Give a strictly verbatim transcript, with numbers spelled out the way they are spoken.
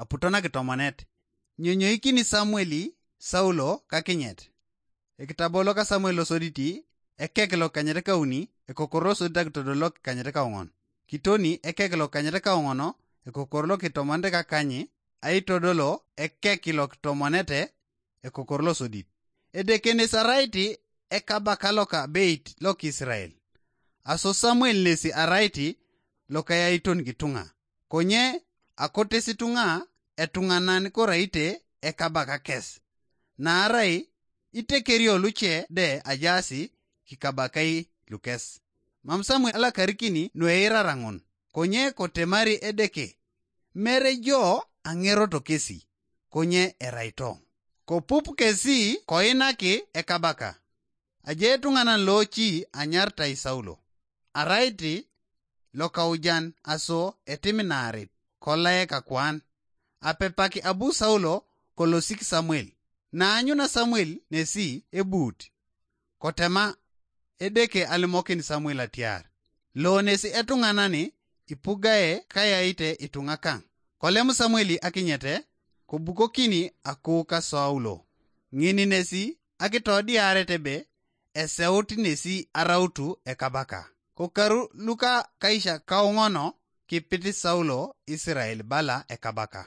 aputo nakitomonet. Nyonyoikini Samueli Saulo kakinyet. Ekitabo loka Samuel losoditi, ekek lokanyet kauni, ekokoro losodit akitodol lokanyet kaong'on. Kitoni ekek lokanyet kaong'ono, ekokoro lokitomonete kakanyi, aitodolo ekek lokitomonete, ekokoro losodit. Edekenes araiti ekabaka loka beit loka Israel. Aso Samuel nesi araiti lokayaiton kituŋa. Konye akotes ituŋa etuŋanan koraite ekabaka kes. Naarai itekerio luce de ajaasi kikabakai lukes. Mam Samuel alakarikini nueirara ŋun, konye kotemari Edeke, mere jo aŋeroto kesi, konye eraito. Kopup kesi koinaki ekabaka. Aje etuŋanan looci anyaritai Saulo, araiti lokaujan aso etiminaarit kolae kakuan, apepaki abu Saulo kolosik Samuel. Naanyuna Samuel nesi ebuut, kotema Edeke alimokin Samuel atiar, lo nesi etuŋanani ipugae kayaite ituŋa kaŋ. Kolem Samuel akinyete, kobukokini akuuka Saulo. Ŋini nesi akitodiaret ebe eseut nesi arautu ekabaka. Kokaru luka kaisha kauŋono kipit Saulo Israel bala ekabaka.